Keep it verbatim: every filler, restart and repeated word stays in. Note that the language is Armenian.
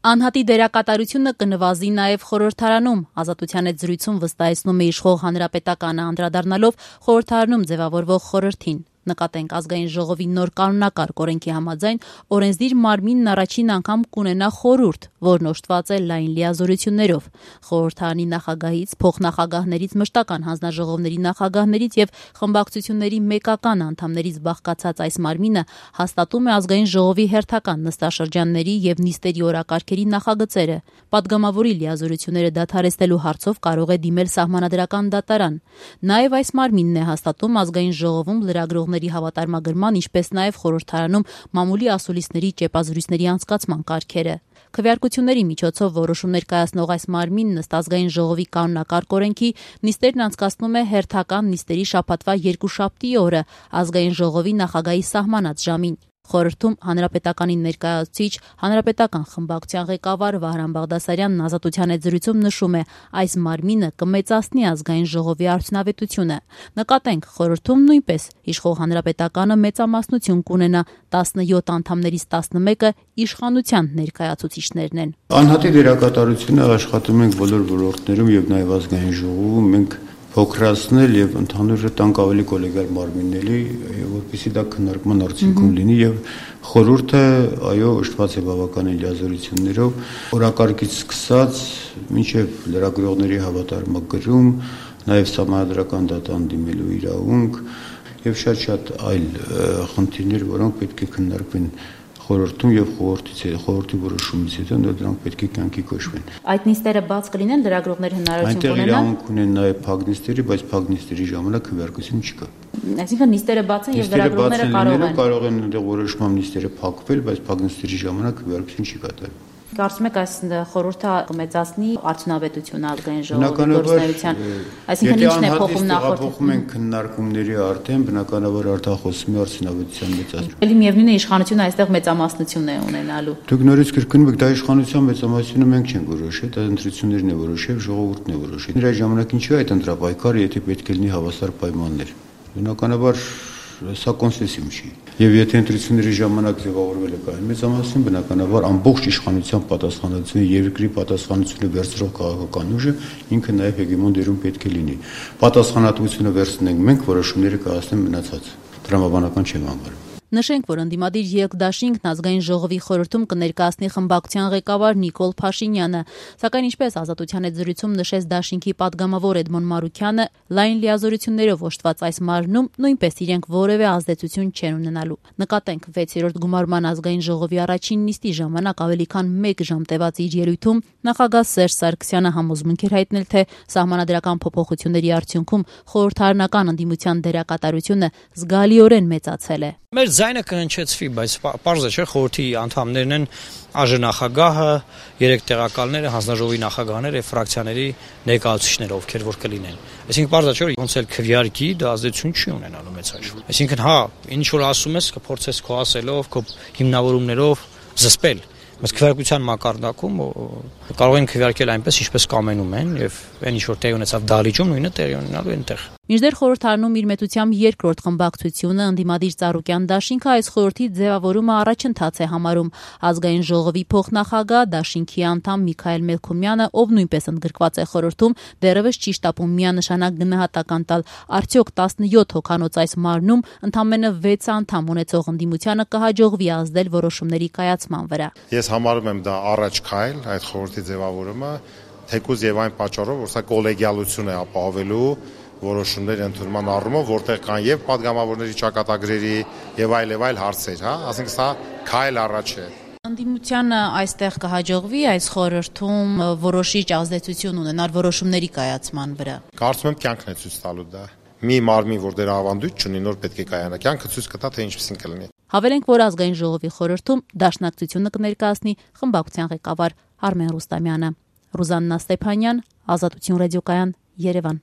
Անհատի դերակատարությունը կնվազի նաև խորհրդարանում։ Ազատության հետ զրույցում վստահեցնում է իշխող հանրապետականը, անդրադառնալով խորհրդարանում ձևավորվող խորհրդին։ Նկատենք, ազգային ժողովի նոր կանոնակարգ օրենքի համաձայն օրենսդիր մարմինն առաջին անգամ կունենա խորհուրդ, որն օժտված է լայն լիազորություններով։ Խորհրդարանի նախագահից, փոխնախագահներից, մշտական հանձնաժողովների նախագահներից եւ խմբակցությունների մեկական անդամներից բաղկացած այս մարմինը հաստատում է ազգային ժողովի հերթական նստաշրջանների եւ նիստերի օրակարգերի նախագծերը։ Պատգամավորի լիազորությունները դադարեցնելու հարցով կարող է դիմել սահմանադրական դատարան։ Նաեւ այս մարմինն է հաստատում ազգային ժողովում լրագրողների հավատարմագրման, ինչպես նաև խորհրդարանում մամուլի ասուլիսների ճեպազրույցների անցկացման կարգերը։ Քվեարկությունների միջոցով որոշումներ կայացնող այս մարմինն ըստ ազգային ժողովի կանոնակարգ օրենքի նիստերն անցկացնում է հերթական նիստերի շաբաթվա երկուշաբթի օրը ազգային ժողովի նախագահի սահմանած ժամին։ Խորհրդում հանրապետականի ներկայացուցիչ, հանրապետական խմբակցության ղեկավար Վահրամ Բաղդասարյանն ազատության հետ զրույցում նշում է, այս մարմինը կմեծացնի ազգային ժողովի արդյունավետությունը։ Նկատենք, խորհրդում նույնպես իշխող հանրապետականը մեծամասնություն կունենա, տասնյոթ անդամներից տասնմեկը իշխանության ներկայացուցիչներն են։ Անհատի դերակատարությունը աշխատում ենք բոլոր ոլորտներում եւ նաեւ ազգային ժողովում մենք փոքրացնել եւ ընդհանուր տանք ավելի կոլեգիալ մարմինների, որպեսզի դա քննարկման արդյունքում լինի եւ խորհուրդը այո օժտված է բավականին լիազորություններով, օրակարգից սկսած մինչեւ լրագրողների հավատարմագրում, նաեւ սահմանադրական դատան դիմելու իրավունք եւ շատ-շատ այլ խնդիրներ, որոնք պետք է քննարկվեն խորհրդում եւ խորհրդից խորհրդի որոշումից հետո դրանք պետք է կյանքի կոչվեն։ Այդ նիստերը բաց կլինեն, լրագրողներ հնարավորություն կունենան։ Այնտեղ իրավունք ունեն նաեւ փակ նիստերի, բայց փակ նիստերի ժամանակ քվեարկություն չկա։ Այսինքն նիստերը բաց են եւ լրագրողները կարող են կարող են այնտեղ որոշմամբ նիստերը փակվել, բայց փակ նիստերի ժամանակ քվեարկություն չի կատարվում։ Կարծում եք այս խորհուրդը կմեծացնի արդյունավետությունը ազգային ժողովի գործունեության, այսինքն ինչն է փոխում նախորդ։ Փոխում են քննարկումների արդեն բնականաբար արդյունախոսում է արդյունավետության մեծացում։ Էլի միևնույն է իշխանությունը այստեղ մեծամասնություն է ունենալու։ Դուք նորից կրկնում եք, դա իշխանության մեծամասնությունը մենք չենք որոշել, դա ընտրություններն է որոշել, ժողովուրդն է որոշել։ Նրա ժամանակ ինչու է այդ ընտրապայքարը, եթե պետք է լինի հավասար պայմաններ։ Բնականաբար սա կոնսենսուս չի։ Եվ եթե ընտրությունների ժամանակ ձևավորվել է կային մեծամասնություն, բնականաբար ամբողջ իշխանության պատասխանատվությունը, երկրի պատասխանատվությունը վերցրող քաղաքական ուժը ինքը նաև հեգեմոն դերում պետք է լինի։ Պատասխանատվությունը վերցնենք մենք, որոշումները կայացնեն մնացած։ Տրամաբանական չեմ համարում։ Նշենք, որ ընդդիմադիր երկդաշինքն ազգային ժողովի խորհրդում կներկայացնի խմբակցության ղեկավար Նիկոլ Փաշինյանը, սակայն ինչպես ազատության հետ զրույցում նշեց դաշինքի պատգամավոր Էդմոն Մարուքյանը, լայն լիազորություններով օժտված այս մարմնում նույնպես իրենք որևէ ազդեցություն չեն ունենալու։ Նկատենք, վեցերորդ գումարման ազգային ժողովի առաջին նիստի ժամանակ ավելի քան մեկ ժամ տևած իր ելույթում նախագահ Սերժ Սարգսյանը համոզմունք էր հայտնել, թե սահմանադրական փոփոխությունների արդյունքում խորհրդարանական ընդդիմության դերակատարությունը զգալիորեն մեծացել է։ Մեր ձայնը կհնչեցվի, բայց պարզ է, չէ՞, խորհրդի անդամներն են ԱԺ-նախագահը, երեք տեղակալները, հանձնաժողովի նախագահները եւ ֆրակցիաների ներկայացուցիչները, ովքեր որ կլինեն։ Այսինքն պարզ է, չէ՞, ոնց էլ քվեարկի, դա ազդեցություն չի ունենալու մեծ հաշվով։ Այսինքն հա, ինչ որ ասում ես, կփորձես քո ասելով, քո հիմնավորումներով զսպել։ Բայց քվեարկության մակարդակում կարող են քվեարկել այնպես, ինչպես կամենում են, եւ այն ինչ որ տեղի ունեցավ դահլիճում, նույնը տեղի ունենալու այնտեղ։ Մինչդեռ խորհրդարանում իր մեծությամբ երկրորդ խմբակցությունը ընդդիմադիր Ծառուկյան դաշինքը այս խորհրդի ձևավորումը առաջընթաց է համարում։ Ազգային ժողովի փոխնախագահ դաշինքի անդամ Միքայել Մելքումյանը, ով նույնպես ընդգրկված է խորհրդում, դեռևս չի շտապում միանշանակ գնահատական տալ, արդյոք տասնյոթ հոգանոց այս մարմնում ընդամենը վեց անդամ ունեցող ընդդիմությանը կհաջողվի ազդել որոշումների կայացման վրա։ Ես համարում եմ դա առաջ քայլ այդ խորհրդի ձևավորումը, թեկուզ եւ այն պատճառով, որ սա կոլեգիալություն է ապահովելու որոշումների ընդունման առումով, որտեղ կան եւ падգամավորների ճակատագրերի եւ այլ եւ այլ հարցեր, հա, ասենք սա քայլ առաջ է։ Ընդդիմությանը այստեղ կհաջողվի այս խորհրդում որոշիչ ազդեցություն ունենալ որոշումների կայացման վրա։ Կարծում եմ կյանքն է ցույց տալու դա։ Մի մարմին, որ դեռ ավանդույթ չունի, նոր պետք է կայանա, կյանքը ցույց կտա, թե ինչպեսին կլինի։ Հավելենք, որ ազգային ժողովի խորհրդում դաշնակցությունը կներկայացնի խմբակցության ղեկավար Արմեն Ռուստամյանը։ Ռուզաննա Ստեփանյան, Ազատություն ռադիոկայան, Երևան։